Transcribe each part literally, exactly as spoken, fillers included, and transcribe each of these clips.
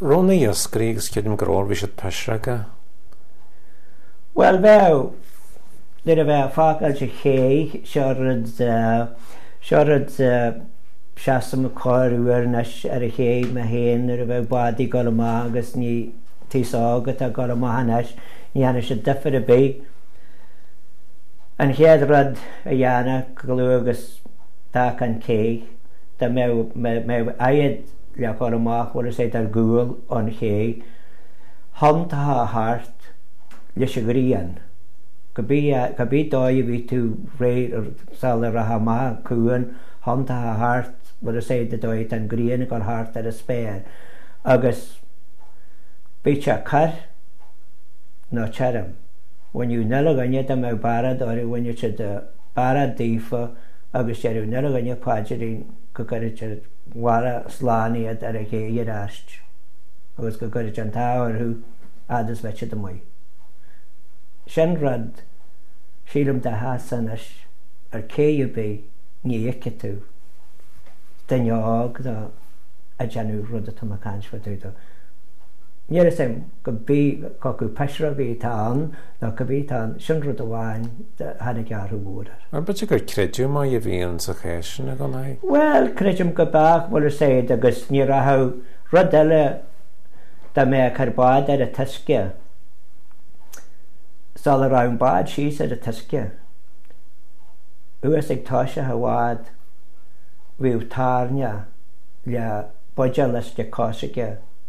Raibh na iascairí agus creidim go raibh, bhí siad pisreogach. Bhuel bheadh, nuair a bheadh fágáil sa ché, seo rud, seo rud, seasaim corr uair anois ar an ché mé féin nuair a bheadh bádaí ag dul amach agus ní t-aos óg atá ag dul amach anois, ní dhéanfaidh siad difear ar bith. An chéad rud a dhéanfá chomh luath agus d'fhágfá an cé, dá mbeadh, mbeadh oiread le dhul amach, bhfuil fhios a'd ar gcúl ón ché, thiontófá thart leis an ghrian, cibé, cibé dóigh a bhí tú réidh sula rachfá amach an cuan, thiontófá thart, bhfuil fhios a'd, an dóigh atá an ghrian ag dul thart ar an spéir agus bíodh sé corr nó tirim, bhaineadh an uile dhuine dá mbeadh bearrad orthu, bhaineadh siad bearrad daofa agus deireadh an uile dhuine paidrín go gcuirfeadh sé abhaile slán iad ar an ché ar ais agus go gcuirfeadh sé an t-ádh orthu fhad is bheadh siad amuigh. Sin rud, sílim dá sheasfá anois ar cé ar bith ní fheicfidh tú duine óg ná ag déanamh rud atá mé ag caint fá dtaobh dó. Níl fhios a'm cibé acu pisreogaí atá ann nó cibé atá ann, sin rud amháin a tháinig athrú mhór air. Ar b'fhéidir gur creideamh maith a bhí ann sa chás sin i gcónaí? Bhuel, creidim go b'eadh, bhfuil fhios a'd, agus ní rachadh rud eile dá mbeadh ar bád ar an t-uisce, sula raibh an bád síos ar an t-uisce, thuas ag toiseach an bhád, bhíodh tairne le buidéal uisce coisricthe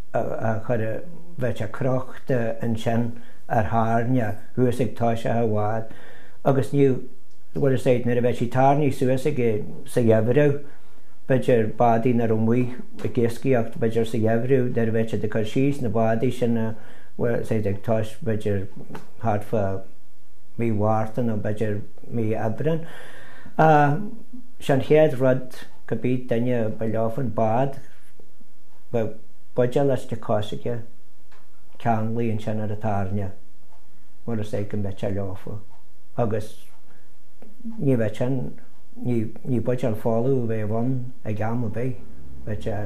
a chur, bheadh sé crochta ansin ar thairne thuas ag toiseach an bhád agus ní, bhfuil fhios a'd, nuair a bheadh sí tarraingthe suas aige sa gheimhreadh, b'fhéidir bádaí nach raibh amuigh ag iascaíocht, b'fhéidir sa gheimhreadh nuair a bheadh siad ag cur síos na bádaí sin, bhfuil fhios a'd, ag tois b'fhéidir thart fá mí Mhárta nó b'fhéidir mí Aibreán. Sé an chéad rud cibé duine ba leofa an bád, bheadh buidéal uisce coisricthe ceanglaithe ansin ar an tairne, bhfuil fhios a'd go mbeadh sé leofa agus ní bheadh sin, ní, ní buidéal folamh a bheadh ann ag am ar bith, bheadh sé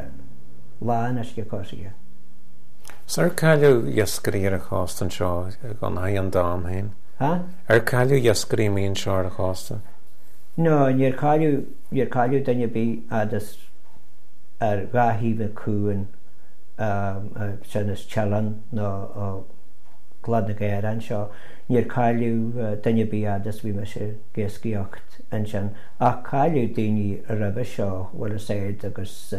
lán uisce coisricthe. 'S ar cailleadh iascairí ar an chósta anseo i gConamara an t-am féin? Ha? Ar cailleadh iascairí amuigh anseo ar an chósta? No, níor cailleadh, níor cailleadh duine ar bith fhad is ar dhá thaobh an chuain, sin as Teileann nó ó Chlad na gCaorach anseo, níor cailleadh duine ar bith fhad is bhí mise ag iascaíocht ansin. Ach cailleadh daoine roimhe seo, bhfuil fhios a'd, agus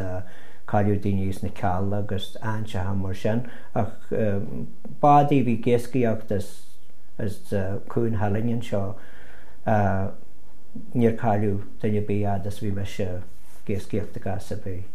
cailleadh daoine sna Cealla agus áiteacha mar sin. Ach bádaí a bhí ag iascaíocht as, as Cuan Theileann anseo, níor cailleadh duine ar bith fhad is bhí mise ag iascaíocht i gcás ar bith.